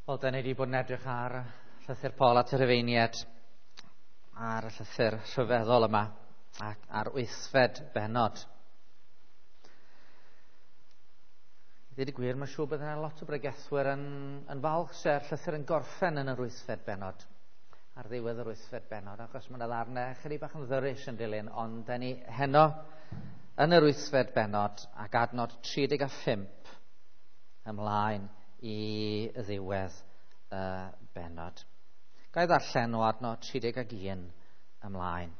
Wel, da ni wedi bod yn edrych ar llythyr Paul at y Rhufeiniaid, ar y llythyr rhyfeddol yma, ac ar wythfed bennod. I ddweud y gwir, mae'n siŵr bod yna lot o bregethwyr yn falch se'r llythyr yn gorffen yn yr wythfed bennod, ar ddiwedd yr wythfed bennod, achos mae yna ddarnau chydig bach yn ddyrus yn dilyn, ond da ni heno yn yr wythfed bennod ac adnod 35 ymlaen i ddiwedd y bennod. Ga i ddarllen o adnod 31 ymlaen.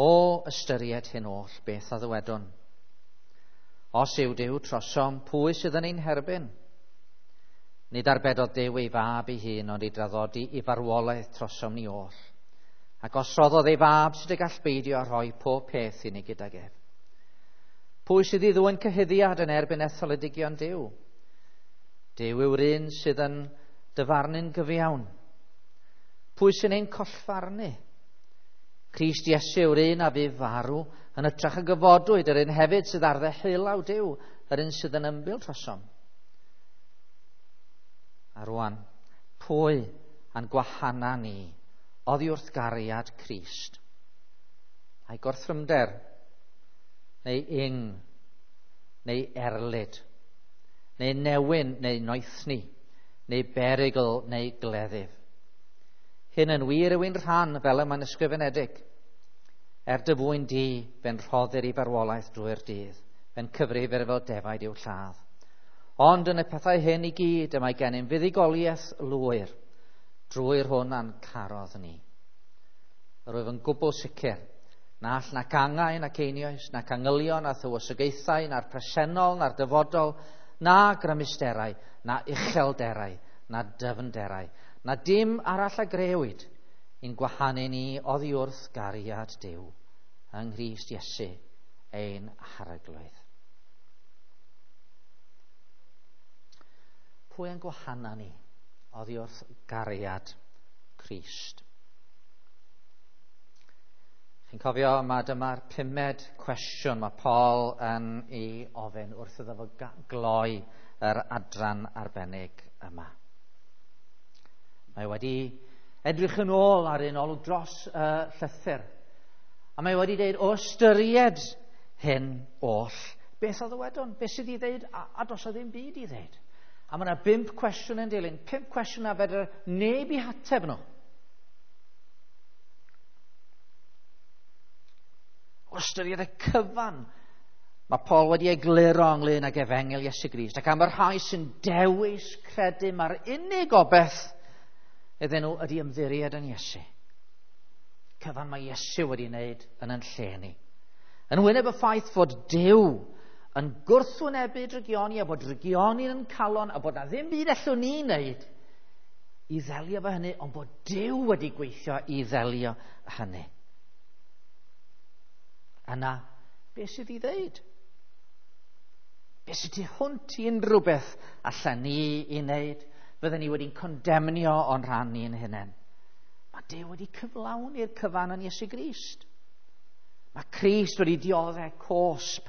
O ystyried hyn oll, beth a ddywedwn? Os yw Duw trosom, pwy sydd yn ein herbyn? Nid arbedodd Duw ei fab ei hun, ond ei draddodi i farwolaeth trosom ni oll. Ac os roddodd ei fab, sut y gall beidio â rhoi pob peth i ni gydag ef? Pwy sydd i ddwyn cyhuddiad yn erbyn etholedigion Duw? Duw yw'r un sydd yn dyfarnu'n gyfiawn. Pwy sy'n ein collfarnu? Crist Iesu yw'r un a fu farw yn hytrach y gyfodwyd, yr un hefyd sydd ar ddeheulaw Duw, yr un sydd yn ymbil trosom. A rwan, pwy a'n gwahana ni oddi wrth gariad Crist? Ai gorthrymder, neu ing, neu erlid, neu newyn, neu noethni, neu berygl, neu gleddyf. Hyn yn wir yw'n rhan fel y mae'n ysgrifenedig. Er dy fwyn di, fe'n rhoddir i farwolaeth drwy'r dydd, fe'n cyfrifir fel defaid i'w lladd. Ond yn y pethau hyn i gyd y mae gennym fuddugoliaeth lwyr drwy'r hwn a'n carodd ni. Yr wyf yn gwbl sicr na all nac angau nac einioes, nac angylion na thywysogaethau, na'r presennol, na'r dyfodol, na grymusterau, na uchelderau, na dyfnderau, na dim arall a grëwyd i'n gwahanu ni oddi wrth gariad Duw yng Nghrist Iesu ein Harglwydd. Pwy yn gwahana ni oddi wrth gariad Crist? Chi'n cofio, mae dyma'r pumed cwestiwn mae Paul yn ei ofyn wrth iddo fo gloi yr adran arbennig yma. Mae wedi edrych yn ôl ar un olwg dros y llythyr. A mae wedi dweud, o ystyried hyn oll, beth a ddywedwn? Beth sydd i ddeud? A does o ddim byd i ddeud. A mae yna 5 cwestiwn yn dilyn. 5 cwestiwn a fedr neb i hateb nhw. O ystyried y cyfan, mae Paul wedi egluro ynglyn ag efengyl Iesu Grist, ac am y rhai sy'n dewis credu mae'r unig obaith iddyn nhw ydy ymddiried yn Iesu. Cyfan mae Iesu wedi wneud yn yn lle ni. Yn wyneb y ffaith fod Duw yn gwrthwynebu drygioni a bod drygioni yn calon a bod na ddim byd allwn ni wneud i ddelio efo hynny, ond bod Duw wedi gweithio i ddelio hynny. Yna, beth sydd i ddeud? Beth sydd tu hwnt i unrhyw beth allan ni i wneud? Fydden ni wedi'n condemnio o'n rhan ni'n hunain. Mae Duw wedi cyflawni'r cyfan yn Iesu Grist. Mae Crist wedi dioddef cosb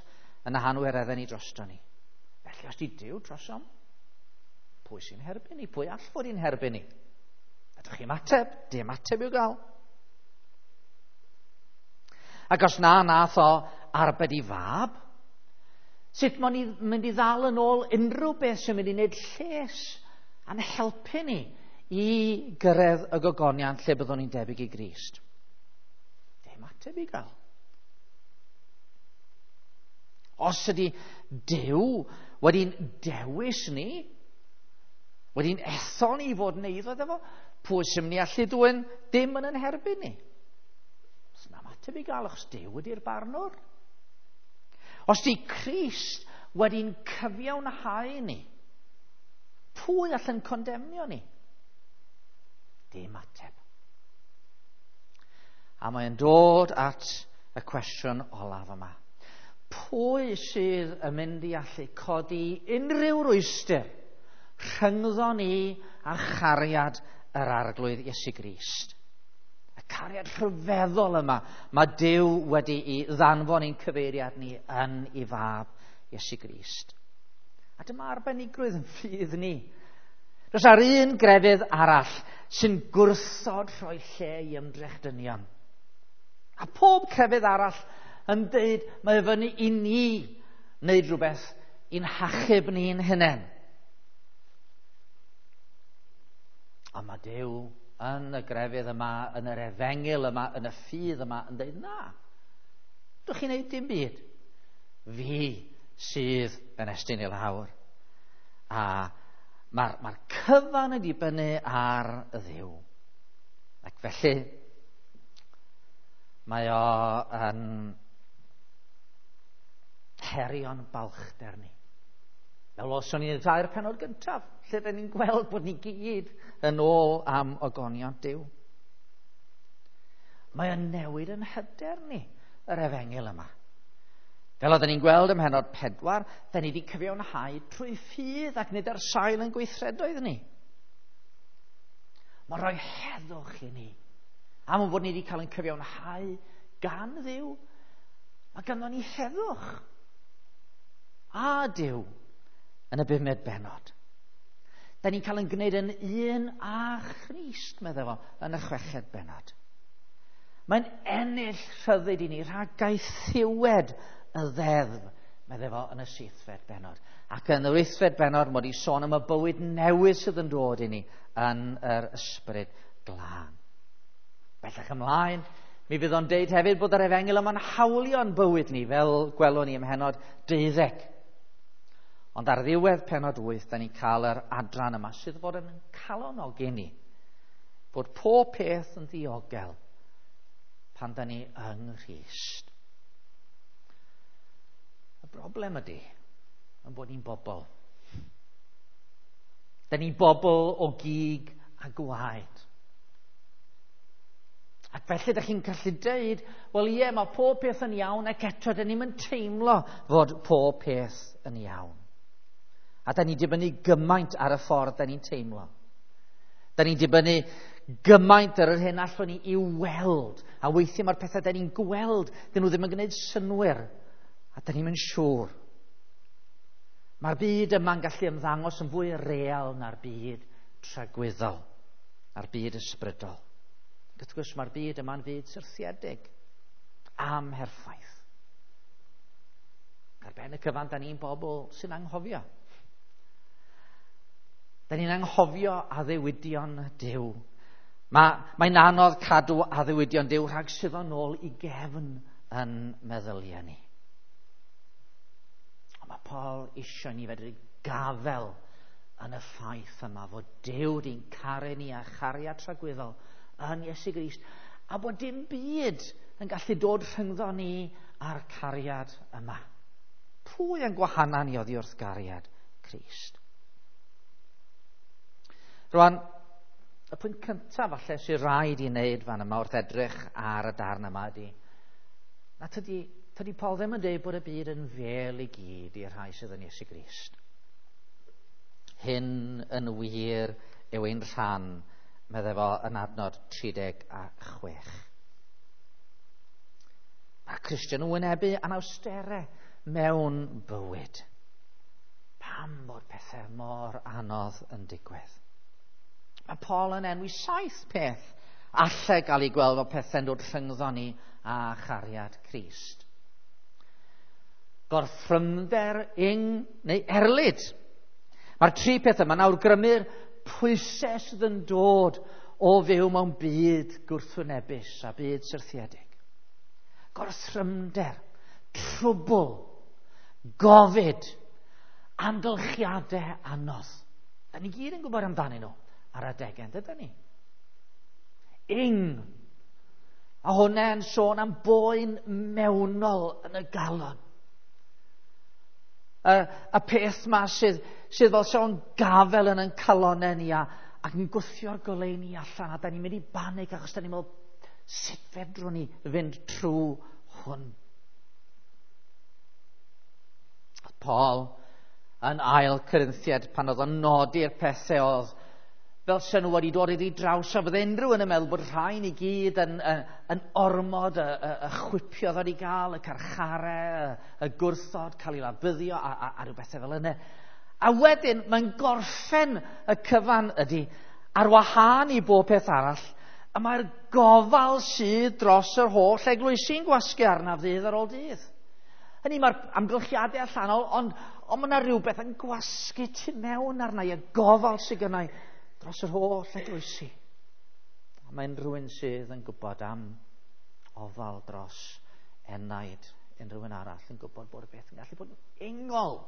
yn y hanwireddau ni drosto ni. Felly, os di Duw drosom, pwy sy'n herbyn ni? Pwy all fod i'n herbyn ni? Ydych chi'n ateb? Dim ateb i'w gael. Ac os na nath o arbed i fab, sut mae'n mynd i ddal yn ôl unrhyw beth sy'n mynd i wneud lles a'n helpu ni i gyrraedd y gogoniant lle byddwn ni'n debyg i Grist? Dim ateb i gael. Os ydy Duw wedi'n dewis ni, wedi'n ethol ni i fod yn eiddo iddo fo, pwy sy'n mynd i allu dwyn dim yn ein herbyn ni? Os na ateb i gael, achos Duw ydy'r barnwr. Os di Crist wedi'n cyfiawnhau ni, pwy allan condemnio ni? Dim ateb. A mae'n dod at y cwestiwn olaf yma. Pwy sydd yn mynd i allu codi unrhyw rwystr rhyngddo ni a chariad yr Arglwydd Iesu Grist? Y cariad rhyfeddol yma mae Duw wedi'i ddanfon i'n cyfeiriad ni yn ei fab Iesu Grist. A dyma arbenigrwydd yn ffydd ni. Does ar un grefydd arall sy'n gwrthod rhoi lle i ymdrech dynion. A pob crefydd arall yn deud mae fyny i ni wneud rhywbeth i'n hachub ni'n hunain. A mae Duw yn y grefydd yma, yn yr efengyl yma, yn y ffydd yma, yn dweud na. Dwch chi'n neud dim byd. Fi sydd yn estyn i lawr. A mae'r mae cyfan yn dibynnu ar y Dduw. Ac felly, mae o yn herio'n balchder ni. Fel os o'n i'n tair penod gyntaf, lle da ni'n gweld bod ni gyd yn ôl am ogoniant Duw. Mae o'n newid yn hyder ni, yr efengyl yma. Fel oedden ni'n gweld ym mhennod 4, da ni wedi cyfiawnhau trwy ffydd ac nid ar sail yn gweithredoedd ni. Mae'n rhoi heddwch i ni. Am bod ni wedi cael ein cyfiawnhau gan Dduw, mae ganddo ni heddwch. A Duw yn y bumed bennod. Da ni'n cael ein gwneud yn un â Christ, meddai fo, yn y chweched bennod. Mae'n ennill rhyddid i ni rhag gaethiwed y ddeddf, meddai fo, yn y seithfed bennod. Ac yn yr wythfed bennod, mod i sôn am y bywyd newydd sydd yn dod i ni yn yr ysbryd glân. Bellach ymlaen, mi fydd o'n deud hefyd bod yr efengyl yma'n hawlio'n bywyd ni, fel gwelwn ni ym mhennod 12. Ond ar ddiwedd pennod 8, da ni'n cael yr adran yma sydd fod yn calonogi ni. Bod pob peth yn ddiogel pan da ni yng Nghrist. Y broblem ydy yn bod ni'n bobl. Da ni'n bobl o gig a gwaed. Ac felly ydych chi'n gallu deud, wel ie, mae pob peth yn iawn ac eto da ni'n teimlo fod pob peth yn iawn. A da ni'n dibynnu gymaint ar y ffordd da ni'n teimlo. Da ni'n dibynnu gymaint ar yr hyn allwn ni i weld. A weithiau mae'r pethau da ni'n gweld, dyn nhw ddim yn gwneud synnwyr. A da ni'n mynd siŵr. Mae'r byd yma'n gallu ymddangos yn fwy real na'r byd tragwyddol, na'r byd ysbrydol. Wrth gwrs, mae'r byd yma'n fyd syrthiedig, amherffaith. Ar ben y cyfan, da ni'n bobl sy'n anghofio. Da ni'n anghofio addewidion Duw. Mae'n anodd cadw addewidion Duw rhag suddo nôl i gefn yn meddyliau ni. Ond mae Paul eisiau ni fedru gafel yn y ffaith yma fod Duw di'n caru ni a chariad tragwyddol yn Iesu Grist, a bod dim byd yn gallu dod rhyngddo ni a'r cariad yma. Pwy yn gwahana ni oddi wrth gariad Crist? Rwan, y pwynt cyntaf falle sy'n rhaid i wneud fan yma wrth edrych ar y darn yma ydy, na tydi Paul ddim yn dweud bod y byd yn fel i gyd i'r rhai sydd yn Iesu Grist. Hyn yn wir yw ein rhan, meddai fo yn adnod 36. Mae Cristion yn wynebu anawsterau mewn bywyd. Pam bod pethau mor anodd yn digwydd? Mae Paul yn enwi 7 peth allai gael ei gweld fel pethau'n dod rhyngddo ni a chariad Crist. Gorthrymder, ing neu erlid. Mae'r 3 peth yma nawr grymu'r pwysau sydd yn dod o fyw mewn byd gwrthwynebus a byd syrthiedig. Gorthrymder, trwbl, gofid, amgylchiadau anodd. Da ni gyd yn gwybod amdanyn nhw ar adegau, dydyn ni? Ing. A hwnna'n sôn am boen mewnol yn y galon. Y peth ma sydd fel sôn gafel yn ein calonau ni ac yn gwthio'r goleuni allan, a da ni'n mynd i banig achos da ni'n meddwl, sut fedrwn ni fynd trwy hwn? Paul yn ail Corinthiad pan oedd o'n nodi'r pethau oedd fel sy'n nhw wedi dod iddi draws, a fydde unrhyw yn y meddwl bod rhain i gyd yn ormod, y chwipio ddod i gael, y carcharau, y gwrthod, cael ei labyddio, a rhyw bethau fel yna. A wedyn, mae'n gorffen y cyfan ydy, ar wahân i bob peth arall, y mae'r gofal sydd dros yr holl eglwysi'n gwasgu arnaf ddydd ar ôl dydd. Hynny, mae'r amgylchiadau allanol, ond mae yna rhywbeth yn gwasgu tu mewn arna i, y gofal sydd gynna i dros yr holl eglwysi. A mae'n rhywun sydd yn gwybod am ofal dros enaid unrhyw un arall, yn gwybod bod y beth yn gallu bod yn ingol.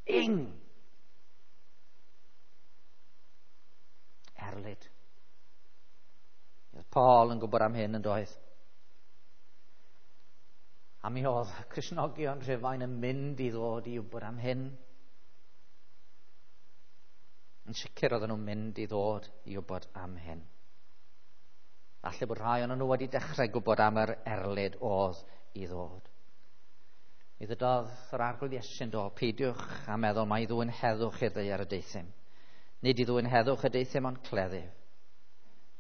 Ing. Erlid. Oedd Paul yn gwybod am hyn yn doedd. A mi oedd Cristnogion Rhufain yn mynd i ddod i wybod am hyn. Yn sicr oedden nhw'n mynd i ddod i wybod am hyn. Falle bod rhai o'n nhw wedi dechrau gwybod am yr erlid oedd i ddod. Mi ddydodd yr Arglwydd Iesu'n do, peidiwch a meddwl mai ddwyn heddwch i'r ddaear y deuthum. Nid i ddwyn heddwch y deuthum ond cleddyf.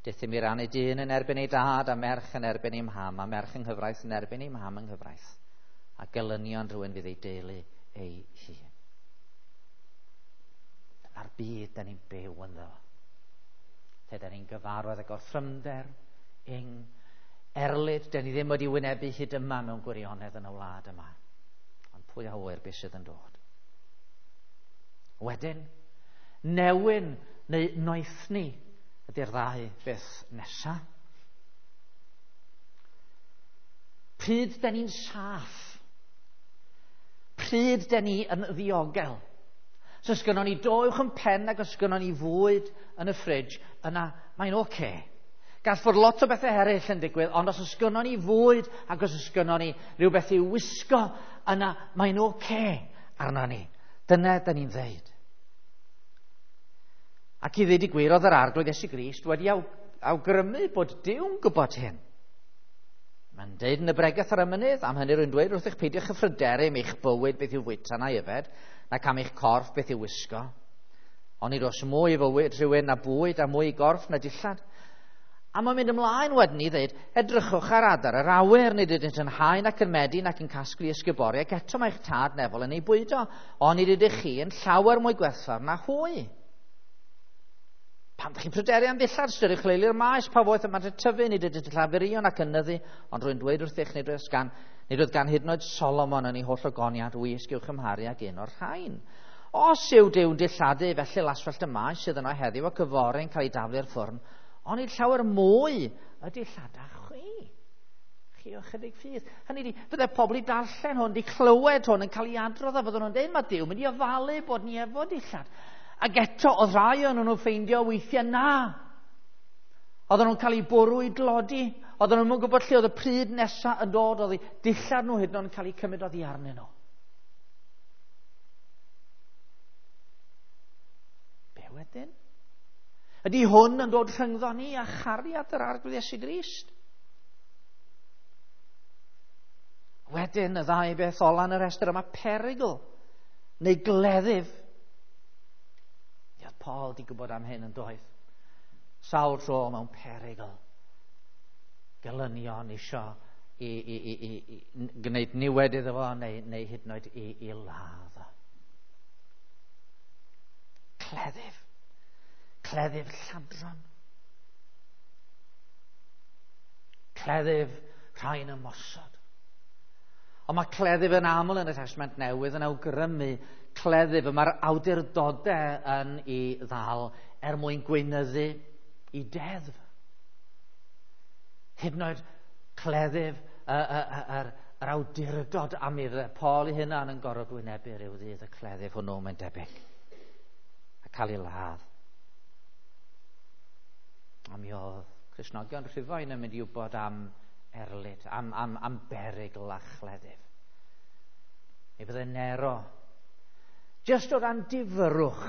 Deuthum i rannu dyn yn erbyn ei dad a merch yn erbyn ei mham a merch yng nghyfraith yn erbyn ei mham yng nghyfraith. A gelynion rhywun fydd ei deulu ei hun. Dyna'r byd da ni'n byw ynddo. Lle da ni'n gyfarwydd ag orthrymder, ing, erlid, da ni ddim wedi wynebu hyd yma mewn gwirionedd yn y wlad yma. Ond pwy a ŵyr beth sydd yn dod. Wedyn, newyn neu noethni ydy'r ddau beth nesa. Pryd da ni'n saff? Pryd da ni yn ddiogel? So os gynnon ni do uwch yn pen ac os gynnon ni fwyd yn y ffridge, yna mae'n oce. Gall fod lot o bethau eraill yn digwydd, ond os oes gynnon ni fwyd ac os oes gynnon ni rhywbeth i'w wisgo, yna mae'n oce arno ni. Dyna da ni'n ddeud. Ac i ddweud y gwir, oedd yr Arglwydd Iesu Grist wedi awgrymu bod Duw'n gwybod hyn. Mae'n deud yn y bregeth ar y mynydd, am hynny rwy'n dweud wrthych peidiwch â phryderu am eich bywyd beth i'w fwyta na'i yfed, nac am eich corff beth i'w wisgo. Ond nid oes mwy i fywyd rhywun na bwyd a mwy i gorff na dillad. A mae'n mynd ymlaen wedyn i ddweud, edrychwch ar adar yr awyr, nid ydynt yn hau nac yn medi nac yn casglu ysguboriau, ac eto mae'ch tad nefol yn ei bwydo, ond nid ydych chi yn llawer mwy gwerthfawr na hwy. Pam ydych chi'n pryderu am ddillad, ystyriwch leili'r maes, pa foeth y maent yn tyfu, nid ydynt yn llafurion ac yn nyddu, ond rwy'n dweud wrthych, nid oedd gan hyd yn oed Solomon yn ei holl ogoniant wisg i'w chymharu ag un o'r rhain. Os yw Duw'n dilladu, felly laswellt y maes sydd yno heddiw ac yfory yn cael ei daflu i'r ffwrn, ond nid llawer mwy y dillada chwi. Chi o chydig ffydd. Hynny ydi, fydde pobl i darllen hwn, di clywed hwn yn cael ei adrodd, a fydden nhw'n dweud, mae Duw mynd i ofalu bod ni efo dillad. Ac eto, oedd rhai o'n nhw'n ffeindio weithiau na. Oedden nhw'n cael eu bwrw i dlodi. Oedden nhw'n gwybod lle oedd y pryd nesaf yn dod. Oedd eu dillad nhw hyd yn oed yn cael eu cymryd oddi arnyn nhw. Be wedyn? Ydy hwn yn dod rhyngddo ni a chariad yr Arglwydd Iesu Grist? Wedyn, y ddau beth ola yn y rhestr yma, perygl neu gleddyf. Paul di gwybod am hyn yn doedd. Sawl tro mewn perygl. Gelynion isio i gwneud niwed iddo fo neu hyd yn oed i ladd o. Cleddyf. Cleddyf lladron. Cleddyf rhai'n ymosod. Ond mae cleddyf yn aml yn y Testament Newydd yn awgrymu cleddyf y mae'r awdurdodau yn ei ddal er mwyn gweinyddu i deddf. Hyd yn oed cleddyf yr awdurdod am iddo. Paul ei hunan yn gorfod wynebu rhyw ddydd y cleddyf hwnnw, mae'n debyg, a cael ei ladd. A mi oedd Cristnogion Rhufain yn mynd i wybod am erlid, am berygl a chleddyf. Mi fydde Nero, jyst o ran difyrrwch,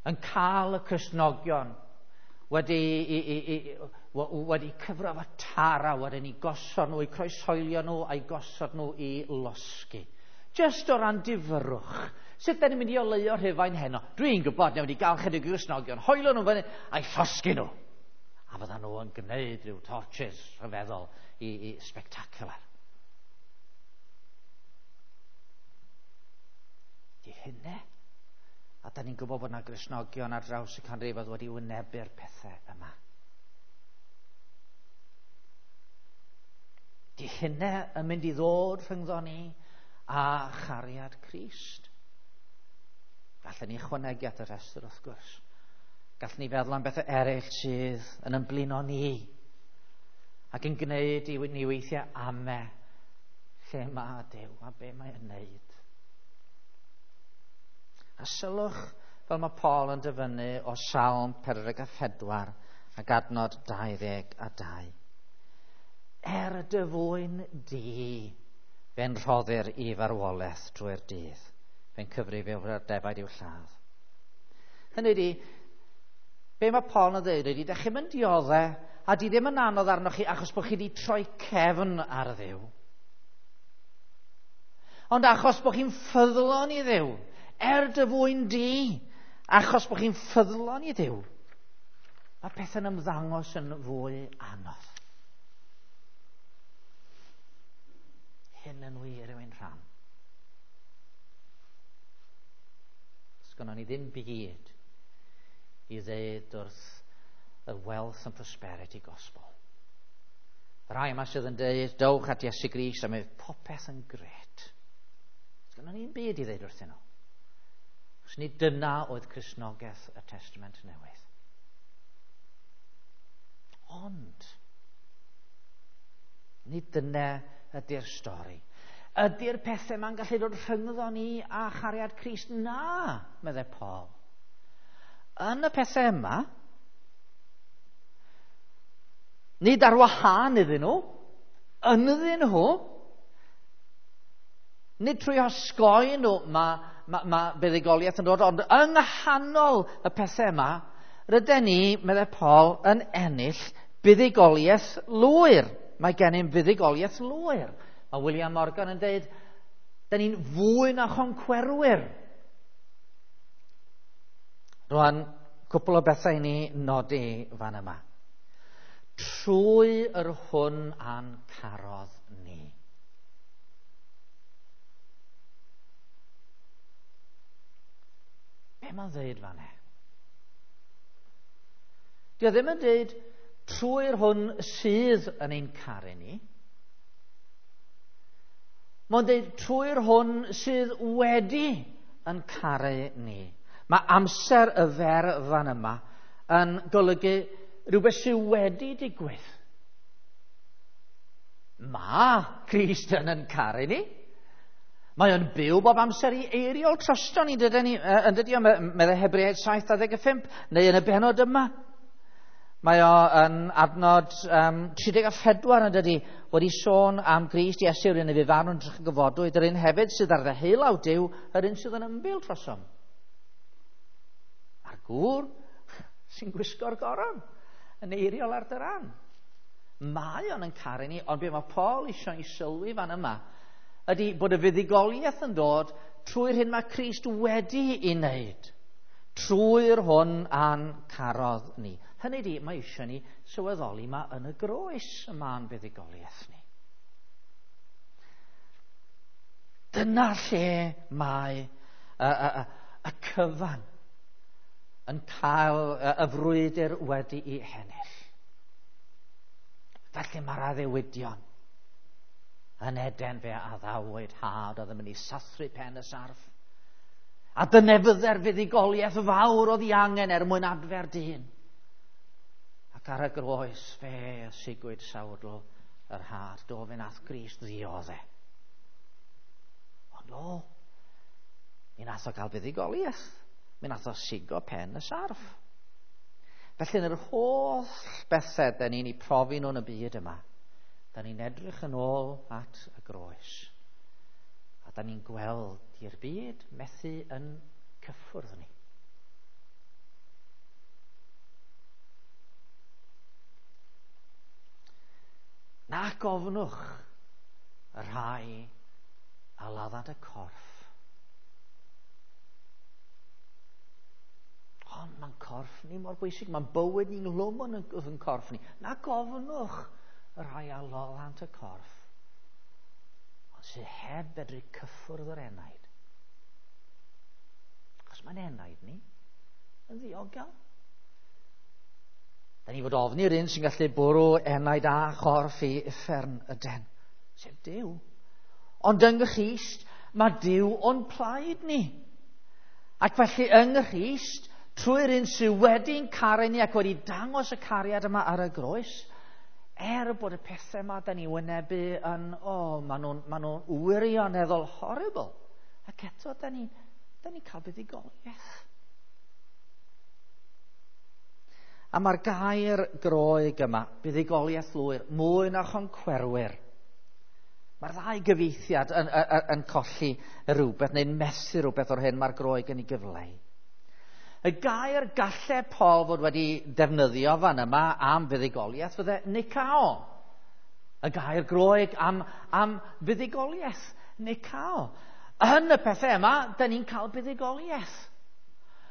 yn cael y Cristnogion wedi cyfro efo tara, wedyn i gosod nhw, i croeshoelio nhw, a'i gosod nhw i losgi. Jyst o ran difyrrwch. Sut da ni'n mynd i oleuo Rhufain heno? Dwi'n gwybod, newn ni gael chydig o Gristnogion, hoelio nhw fyny, a'i llosgi nhw. A fyddan nhw yn gwneud rhyw torches rhyfeddol i spectacular. hynny. A da ni'n gwybod bod yna Gristnogion ar draws y canrifoedd wedi wynebu'r pethau yma. Di hynny yn mynd i ddod rhyngddo ni a chariad Crist. Gallen ni ychwanegu at y rhestr wrth gwrs. Gallwn ni feddwl am bethau eraill sydd yn ymblino ni ac yn gwneud i ni weithiau ame lle mae Duw a be mae'n wneud. A sylwch fel mae Paul yn dyfynnu o Salm 44 ac adnod 22. Er dy fwyn di, fe'n rhoddir i farwolaeth drwy'r dydd. Fe'n cyfrif yw'r defaid i'w lladd. Hynny ydi, be mae Paul yn dweud ydi, da chi'n mynd dioddau a di ddim yn anodd arnoch chi achos bod chi wedi troi cefn ar Dduw. Ond achos bod chi'n ffyddlon i Dduw, er dy fwyn di, achos bod chi'n ffyddlon i Dduw, mae pethau'n ymddangos yn fwy anodd. Hyn yn wir yw ein rhan. Sgynnon ni ddim byd i ddeud wrth y wealth and prosperity gospel. Y rhai yma sydd yn dweud, dowch at Iesu Grist a mae popeth yn gret. Sgynnon ni'n byd i ddeud wrthyn nhw. Os nid dyna oedd Cristnogaeth y Testament Newydd. Ond, nid dyna ydy'r stori. Ydy'r pethau ma'n gallu dod rhyngddo ni a chariad Crist? Na, meddai Paul. Yn y pethau yma, nid ar wahân iddyn nhw, ynddyn nhw, nid trwy osgoi nhw mae ma, ma buddugoliaeth yn dod, ond yng nghanol y pethau yma, rydyn ni, meddai Paul, yn ennill buddugoliaeth lwyr. Mae gennym fuddugoliaeth lwyr. Mae William Morgan yn dweud, da ni'n fwy na choncwerwyr. Rwan, cwpl o bethau i ni nodi fan yma. Trwy yr hwn a'n carodd ni. Be mae'n dweud fan e? Dio ddim yn dweud trwy'r hwn sydd yn ein caru ni. Mae'n dweud trwy'r hwn sydd wedi yn caru ni. Mae amser y fer fan yma yn golygu rhywbeth sydd wedi digwydd. Mae Crist yn caru ni. Mae o'n byw bob amser i eiriol drosto ni, dydyn ni, yn dydi o, meddai Hebreaid 7:25, neu yn y benod yma. Mae o yn adnod 34 yn dydi, wedi sôn am Grist Iesu, yr un y fu farw'n drych gyfodwyd, yr un hefyd sydd ar ddeheulaw Duw, yr un sydd yn ymbil drosom. A'r gŵr sy'n gwisgo'r goron yn eiriol ar dy ran. Mae o'n yn caru ni, ond be mae Paul eisiau i sylwi fan yma ydy bod y fuddugoliaeth yn dod trwy'r hyn mae Crist wedi ei wneud, trwy'r hwn a'n carodd ni. Hynny ydy, mae eisiau ni sylweddoli mae yn y groes y ma'n fuddugoliaeth ni. Dyna lle mae y cyfan yn cael y frwydr wedi'i hennill. Felly mae'r addewidion yn Eden fe addawyd had oedd yn mynd i sathru pen y sarff. A dyna fydde'r fuddugoliaeth fawr oedd ei angen er mwyn adfer dyn. Ac ar y groes fe sigwyd sawdl yr had. Do fe nath Grist ddiodde. Ond o, mi nath o gael fuddugoliaeth. Mi nath o sigo pen y sarff. Felly yn yr holl bethau da ni'n ei profi nhw yn y byd yma, da ni'n edrych yn ôl at y groes. A da ni'n gweld i'r byd methu yn cyffwrdd ni. Na gofnwch y rhai a laddant y corff. Ond mae'n corff ni mor bwysig, mae'n bywyd ni'n lwm yn yn corff ni. Na gofnwch y rhai a laddant y corff, ond sydd heb fedru cyffwrdd yr enaid. Achos mae'n enaid ni yn ddiogel. Da ni fod ofni'r un sy'n gallu bwrw enaid a chorff i uffern y den, sef Duw. Ond yng Nghrist, mae Duw o'n plaid ni. Ac felly yng Nghrist, trwy'r un sydd wedi'n caru ni ac wedi dangos y cariad yma ar y groes, er bod y pethau yma da ni wynebu yn, maen nhw'n ma nhw wirioneddol horrible. Ac eto, da ni'n da ni cael buddugoliaeth. A mae'r gair Groeg yma, buddugoliaeth lwyr, mwy na choncwerwyr. Mae'r ddau gyfieithiad yn colli rhywbeth neu'n methu rhywbeth o'r hyn mae'r Groeg yn ei gyfleu. Y gair gallai Paul fod wedi defnyddio fan yma am fuddugoliaeth fydde nikao. Y gair Groeg am fuddugoliaeth, nikao. Yn y pethau yma, da ni'n cael buddugoliaeth.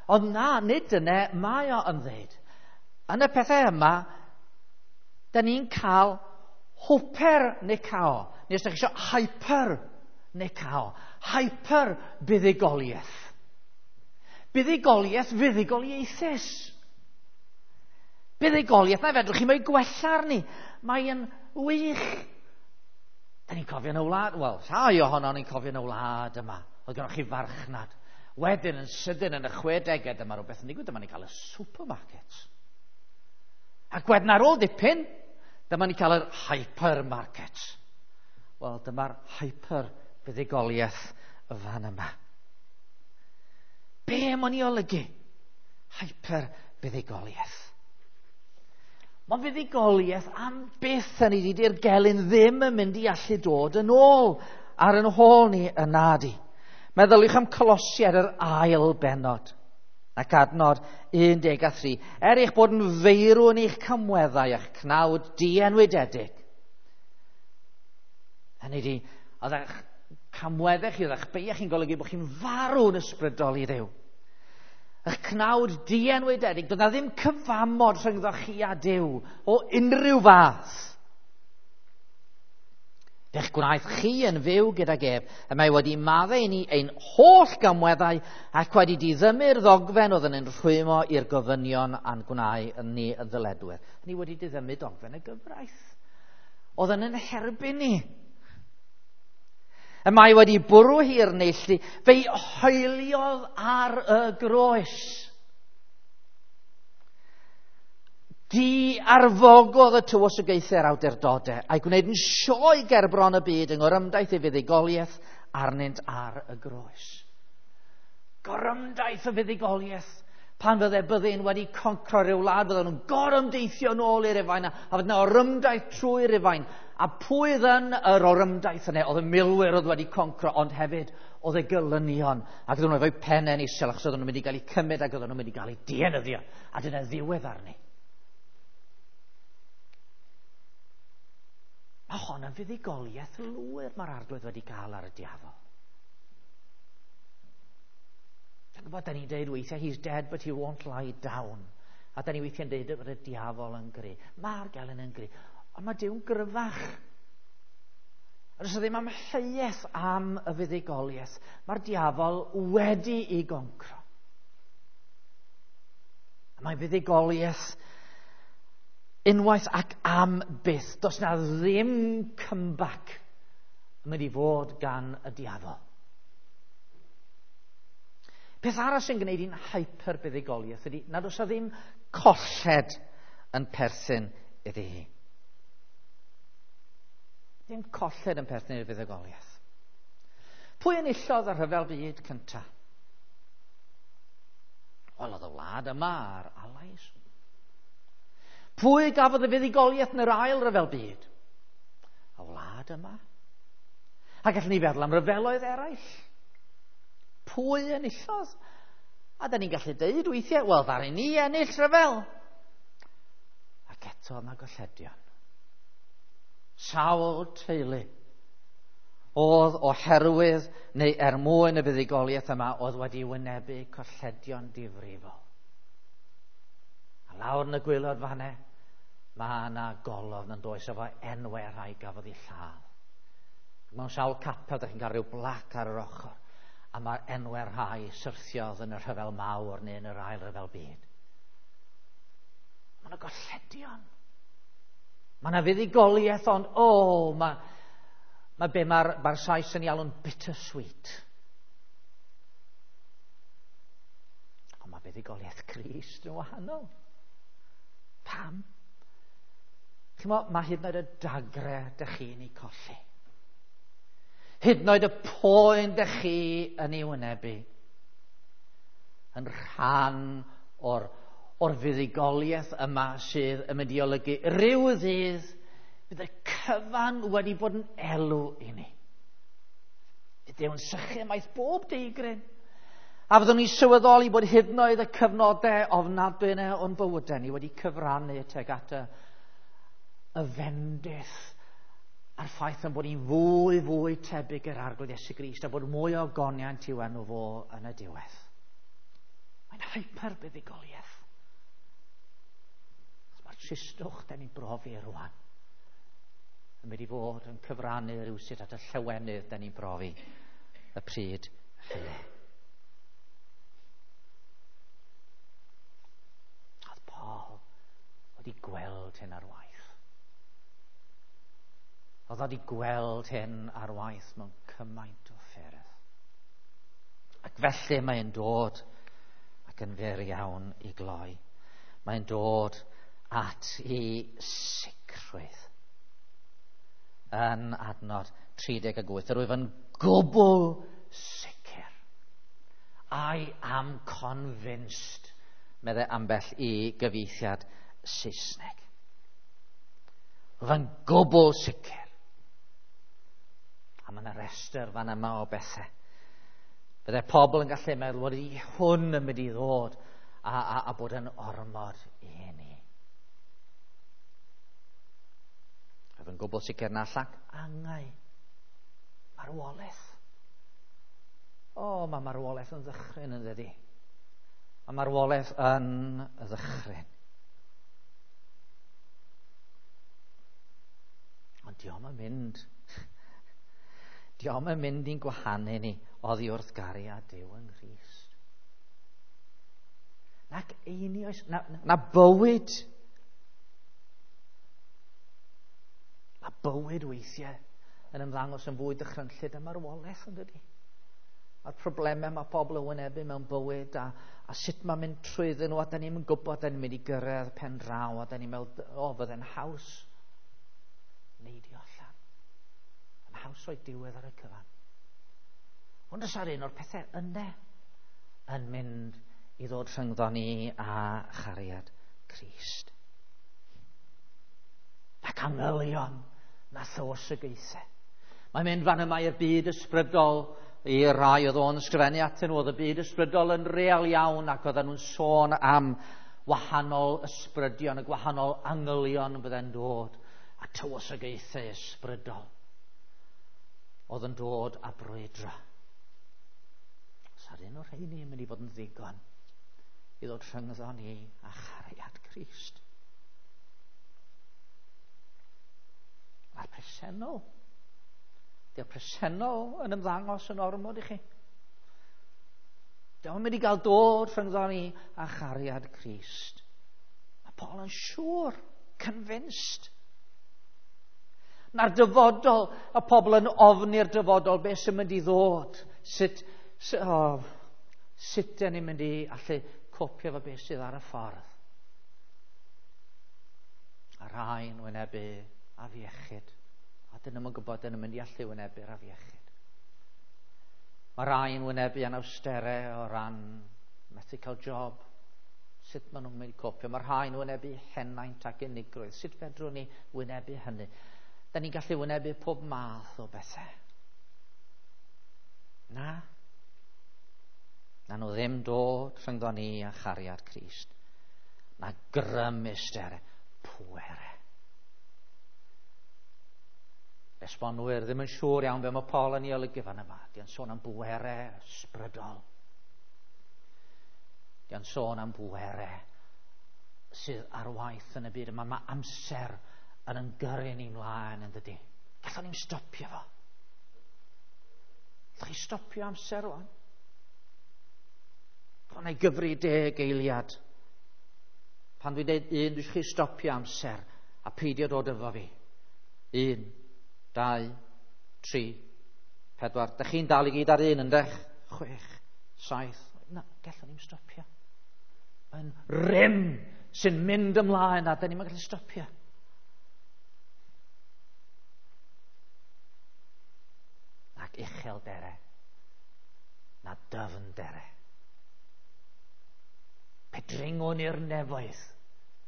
Ond na, nid dyna mae o yn dweud. Yn y pethau yma, da ni'n cael hwper nikao. Neu os da chi eisiau hyper nikao. Hyper buddugoliaeth. Buddugoliaeth fuddugoliaethus. Buddugoliaeth na fedrwch chi mo'i gwella arni. Mae'n wych. Da ni'n cofio yn y wlad, wel, rhai ohono ni'n cofio yn y wlad yma. Oedd gennych chi farchnad. Wedyn yn sydyn yn y 60au, dyma rhywbeth yn digwydd, dyma ni'n cael y supermarkets. Ac wedyn ar ôl dipyn, dyma ni'n cael yr hypermarkets. Wel, dyma'r hyper fuddugoliaeth fan yma. Be mae'n ei olygu? Hyper fuddugoliaeth. Mae'n fuddugoliaeth am byth yn ei di'r gelyn ddim yn mynd i allu dod yn ôl ar yn hôl ni yn nadi. Meddyliwch am Colosiaid yr ail bennod ac adnod 13. Er eich bod yn feirw yn eich camweddau a'ch cnawd dienwydedig. Hynny ydi, oedd eich camweddau chi, oedd eich beiau chi'n golygu bod chi'n farw'n ysbrydol i Dduw. Eich cnawd dienwydedig, doedd na ddim cyfamod rhyngddo chi a Duw o unrhyw fath. Fe'ch gwnaeth chi yn fyw gydag ef, y mae wedi maddau i ni ein holl gamweddau ac wedi diddymu'r ddogfen oedd yn ein rhwymo i'r gofynion a'n gwnau ni yn ddyledwyr. Ni wedi diddymu dogfen y gyfraith. Oedd yn ein herbyn ni. Y mae wedi bwrw hi'r neilltu, fe'i hoeliodd ar y groes. Di arfogodd y tywysogaethau'r awdurdodau a'i gwneud yn sioe gerbron y byd yng ngorymdaith ei fuddugoliaeth arnynt ar y groes. Gorymdaith y fuddugoliaeth. Pan fydde byddin wedi concro rhyw wlad, fydden nhw'n gorymdeithio nôl i'r Rufain, a fydde yna orymdaith trwy Rufain. A pwy oedd yn yr orymdaith yna? Oedd y milwyr oedd wedi concro, ond hefyd oedd y gelynion. Ac oedden nhw efo'u pennau'n isel, achos oedden nhw'n mynd i gael eu cymryd ac oedden nhw'n mynd i gael eu dienyddio. A dyna ddiwedd arni. Mae hon yn fuddugoliaeth lwyr mae'r Arglwydd wedi cael ar y diafol. Dwi'n gwybod, da ni'n deud weithiau, he's dead but he won't lie down. A da ni weithiau'n deud bod y diafol yn gry. Mae'r gelyn yn gry. Ond mae Duw'n gryfach. A does ddim amheuaeth am y fuddugoliaeth. Mae'r diafol wedi ei goncro. A mae fuddugoliaeth unwaith ac am byth. Does na ddim comeback yn mynd i fod gan y diafol. Peth arall sy'n gwneud i'n hyper buddugoliaeth ydy nad oes na ddim colled yn perthyn iddi hi. Ddim colled yn perthyn i'r fuddugoliaeth. Pwy enillodd y rhyfel byd cyntaf? Wel, oedd y wlad yma a'r Allies. Pwy gafodd y fuddugoliaeth yn yr ail ryfel byd? Y wlad yma. A gallwn ni feddwl am ryfeloedd eraill. Pwy enillodd? A da ni'n gallu deud weithiau, wel, ddaru ni ennill rhyfel. Ac eto yna golledion. Sawl teulu oedd oherwydd neu er mwyn y fuddugoliaeth yma oedd wedi wynebu colledion difrifol. A lawr yn y gwaelod fanne, mae yna golofn yn does efo enwau rhai gafodd eu lladd. Mewn sawl capel, da chi'n cael rhyw blac ar yr ochr. A mae'r enwau rhai syrthiodd yn y rhyfel mawr neu yn yr ail ryfel byd. Mae yna golledion. Mae yna fuddugoliaeth, ond o, mae be mae'r Sais yn ei alw'n bittersweet. Ond mae buddugoliaeth Crist yn wahanol. Pam? Chimod, mae hyd yn oed y dagre dych chi'n ei colli. Hyd yn oed y poen dych chi yn ei wynebu. Yn rhan o'r fuddugoliaeth yma sydd yn mynd i olygu rhyw ddydd bydd y cyfan wedi bod yn elw i ni. Bydd Duw'n sychu ymaith bob deigryn. A fyddwn ni'n sylweddoli bod hyd yn oed y cyfnodau ofnadwy yna o'n bywydau ni wedi cyfrannu tuag at y fendith a'r ffaith yn bod ni'n fwy, fwy tebyg i'r Arglwydd Iesu Grist a bod mwy o goniant i'w enw fo yn y diwedd. Mae'n hyper-buddugoliaeth. Mae'r tristwch da ni'n brofi rwan yn mynd i fod yn cyfrannu rhywsut at y llawenydd da ni'n brofi y pryd hynny. Oedd Paul wedi gweld hyn ar waith. Oedd wedi gweld hyn ar waith mewn cymaint o ffyrdd. Ac felly mae'n dod ac yn fyr iawn i gloi. Mae'n dod at ei sicrwydd. Yn adnod 38, yr wyf yn gwbl sicr. I am convinced, meddai ambell i gyfieithiad Saesneg. Rwyf yn gwbl sicr. A mae yna restr fan yma o bethau. Byddai pobl yn gallu meddwl bod i hwn yn mynd i ddod a bod yn ormod i ni. Rwyf yn gwbl sicr na llac angau. Marwolaeth. O, mae marwolaeth yn ddychryn yn dydi. Mae marwolaeth yn ddychryn. Ond dio'm yn mynd. Dio'm yn mynd i'n gwahanu ni oddi wrth gariad Duw yng Nghrist. Nac einioes, na bywyd. Mae bywyd weithiau yn ymddangos yn fwy dychrynllyd a marwolaeth yn dydi. Mae'r problemau mae pobl yn wynebu mewn bywyd a sut mae'n mynd trwyddyn nhw a da ni'n gwybod da ni'n mynd i gyrraedd pen draw a da ni'n meddwl, o, fydde'n haws neidio allan. Yn haws o'i diwedd ar y cyfan. Ond oes ar un o'r pethau yna yn mynd i ddod rhyngddo ni a chariad Crist. Ac angylion na thywysogaethau. Mae'n mynd fan yma i'r byd ysbrydol, i rai oedd o'n ysgrifennu atyn nhw, oedd y byd ysbrydol yn real iawn ac oedden nhw'n sôn am wahanol ysbrydion, y gwahanol angylion fydde'n dod, a tywysogaethau ysbrydol oedd yn dod a brwydro. Os ar un o'r rheini yn mynd i fod yn ddigon i ddod rhyngddo ni a chariad Crist. Mae'r presennol. Di'r presennol yn ymddangos yn ormod i chi. Dio'm yn mynd i gael dod rhyngddo ni a chariad Crist. Mae Paul yn siŵr, convinced. Na'r dyfodol, y pobl yn ofni'r dyfodol, beth sy'n mynd i ddod? Sut dyn ni'n mynd i allu copio fo beth sydd ar y ffordd? A rhai yn wynebu afiechyd. A dyn nhw'n gwybod dyn nhw'n mynd i allu wynebu'r afiechyd. Mae rhai yn wynebu anawsterau o ran methu cael job. Sut maen nhw'n mynd i copio? Mae rhai yn wynebu henaint ac unigrwydd. Sut fedrwn ni wynebu hynny? Da ni'n gallu wynebu pob math o bethau. Na. Na nhw ddim dod rhyngddo ni a chariad Crist. Na grymusterau, pwerau. Esbonwyr ddim yn siŵr iawn be mae Paul yn ei olygu fan yma. Di'n sôn am bwerau ysbrydol. Di'n sôn am bwerau sydd ar waith yn y byd yma. Mae amser yn ymgyrru ni mlaen yn dydi. Gallwn ni'n stopio fo. Gallwch chi stopio amser rwan? Pan ei gyfri 10 eiliad. Pan dwi'n dweud 1, dwi eisiau chi stopio amser a peidio dod efo fi. 1, 2, 3, 4. Dych chi'n dal i gyd ar 1, yndech? 6, 7. Na, gallwn ni'n stopio. Mae'n rym sy'n mynd ymlaen a dyn ni'n gallu stopio. Ac uchel dere, na dyfn dere. Pe dringwn i'r nefoedd.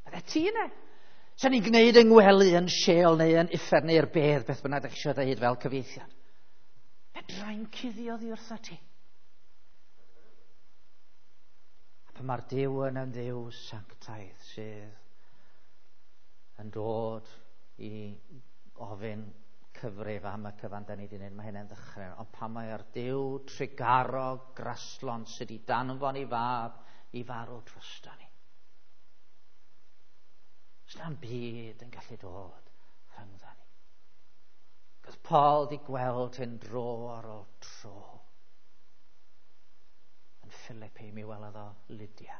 Bydde ti yna? Sa'n ni'n gwneud yng ngwely yn Sheol neu yn uffern neu'r bedd, beth bynnag ydych chi eisiau dweud fel cyfieithiad. Fedrai'n cuddio ddi wrtha ti. A pan mae'r Duw yn yn Dduw sanctaidd sydd yn dod i ofyn cyfrif am y cyfan da ni wedi gwneud, mae hynny'n ddychryn. Ond pan mae'r Duw trugarog graslon sydd wedi danfon i fab i farw drosto ni. Sna'n byd yn gallu dod rhyngddo ni. Cos Paul di gweld hyn dro ar ôl tro. Yn Philippi mi welodd o Lydia.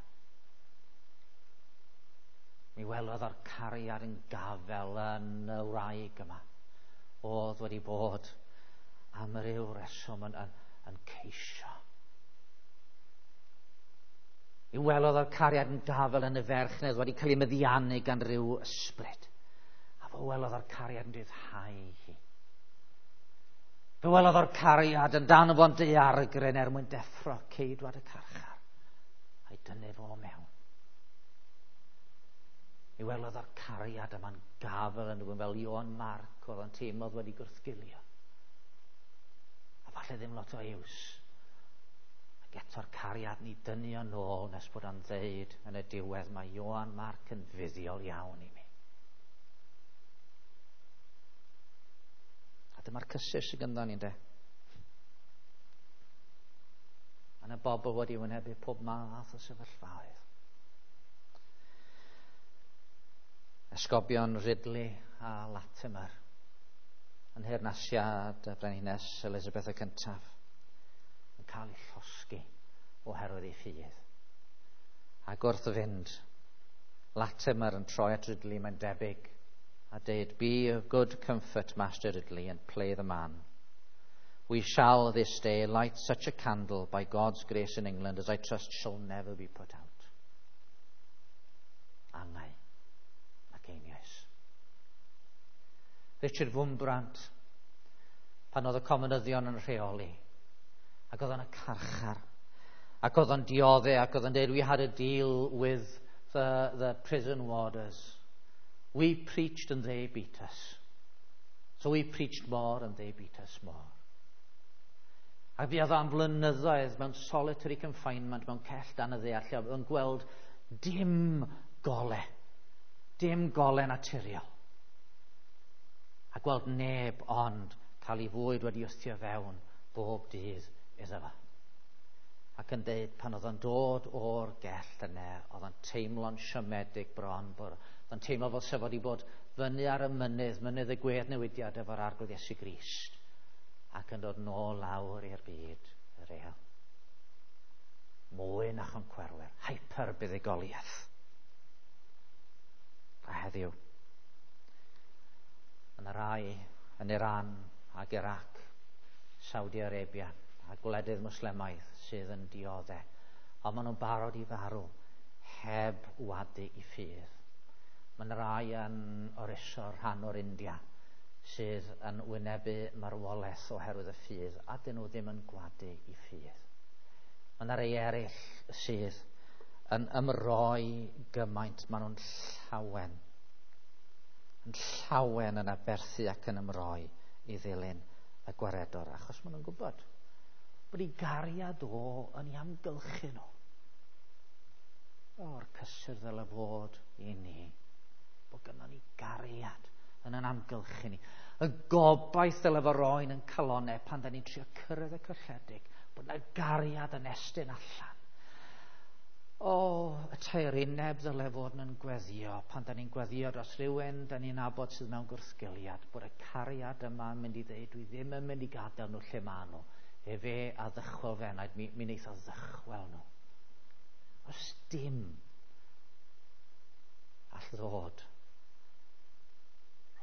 Mi welodd o'r cariad yn gafel yn y wraig yma. Oedd wedi bod am ryw reswm yn ceisio. Mi welodd o'r cariad yn gafel yn y ferch neu wedi cael ei meddiannu gan ryw ysbryd. A fe welodd o'r cariad yn rhyddhau hi. Fe welodd o'r cariad yn danfon daeargryn er mwyn deffro ceidwad y carchar a'i dynnu fo mewn. Mi welodd o'r cariad yma'n gafel yn rhywun fel Ioan Marc oedd o'n teimlo wedi gwrthgilio. A falle ddim lot o iws. Ac eto'r cariad ni dynnu o'n ôl nes bod o'n ddeud yn y diwedd mae Ioan Marc yn fuddiol iawn i mi. A dyma'r cysur sydd gynddon ni, ynde. Mae yna bobl wedi wynebu pob math o sefyllfaoedd. Esgobion Ridley a Latimer yn nheyrnasiad y Brenhines Elizabeth y Cyntaf yn cael eu llosgi oherwydd ei ffydd. Ac wrth fynd, Latimer yn troi at Ridley, mae'n debyg, a deud, "Be of good comfort, Master Ridley, and play the man. We shall this day light such a candle by God's grace in England as I trust shall never be put out." Angau ac einioes. Richard Wurmbrand, pan oedd y comunyddion yn rheoli, ac oedd o'n y carchar, ac oedd o'n diodde, ac oedd o'n dweud, "We had a deal with the prison warders. We preached and they beat us. So we preached more and they beat us more." A fuodd o am flynyddoedd mewn solitary confinement, mewn cell dan y ddaear, lle oedd o'n gweld dim gole, dim gole naturiol. A gweld neb ond cael ei fwyd wedi wthio fewn bob dydd iddo fo. Ac yn deud pan oedd o'n dod o'r gell yna, oedd o'n teimlo'n siomedig bron, bod oedd o'n teimlo fel sef wedi bod fyny ar y mynydd, mynydd y gweddnewidiad efo'r Arglwydd Iesu Grist, ac yn dod nôl lawr i'r byd real. Mwy na choncwerwyr, hyper buddugoliaeth. A heddiw, yna rai yn Iran ac Iraq, Saudi Arabia a gwledydd Mwslemaidd sydd yn diodde, ond maen nhw'n barod i farw heb wadu i ffydd. Mae yna rai yn Orissa, rhan o'r India, sydd yn wynebu marwolaeth oherwydd y ffydd, a dyn nhw ddim yn gwadu i ffydd. Mae yna rai eraill sydd yn ymroi gymaint, maen nhw'n llawen. Yn llawen yn aberthu ac yn ymroi i ddilyn y gwaredwr, achos maen nhw'n gwybod bod ei gariad o yn ei amgylchu nhw. O'r cysur ddyle fod i ni, bod gynnon ni gariad yn yn amgylchu ni. Y gobaith ddyle fo roi'n yn calonau pan da ni'n trio cyrraedd y colledig, bod yna gariad yn estyn allan. O, y taerineb ddyle fod yn gweddio pan da ni'n gweddio dros rhywun da ni'n nabod sydd mewn gwrthgiliad, bod y cariad yma yn mynd i ddeud, dwi ddim yn mynd i gadael nhw lle maen nhw. Efe a ddychwel fe enaid, mi wneith o ddychwel nhw. Os dim all ddod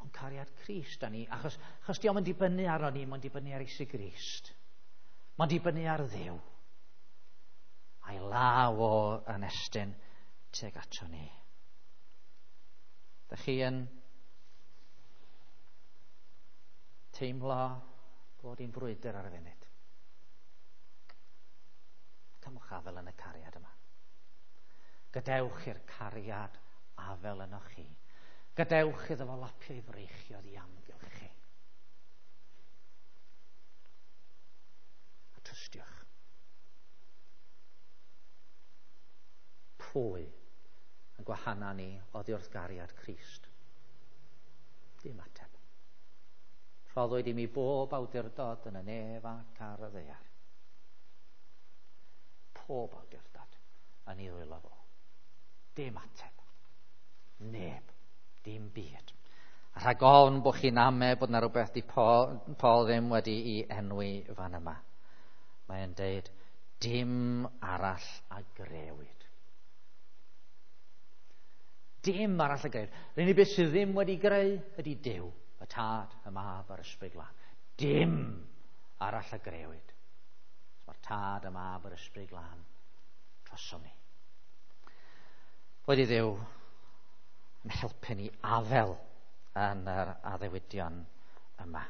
rhwng cariad Crist a ni, achos dio'm yn dibynnu arno ni, mae'n dibynnu ar Iesu Grist. Mae'n dibynnu ar Dduw. A'i law o yn estyn tuag ato ni. Dych chi yn teimlo bod hi'n frwydr ar y funud? Cymwch afel yn y cariad yma. Gadewch i'r cariad afel yno chi. Gadewch iddo fo lapio i freichiodd i amgylch chi. A trystiwch. Pwy yn gwahana ni oddi wrth gariad Crist? Dim ateb. Rhoddwyd i mi bob awdurdod yn y nef ac ar y ddaear. Pob awdurdod yn ei ddwylo fo. Dim ateb. Neb. Dim byd. A rhag ofn bod chi'n ame bod yna rhywbeth di Paul ddim wedi i enwi fan yma. Mae'n deud, dim arall a grewyd. Dim arall a grewyd. Yr unig beth sydd ddim wedi greu ydy Duw, y Tad, y Mab a'r Ysbryd Glân. Dim arall a grewyd. Mae'r Tad, y Mab a'r Ysbryd Glân drosom ni. Boed i Dduw yn helpu ni afel yn yr addewidion yma.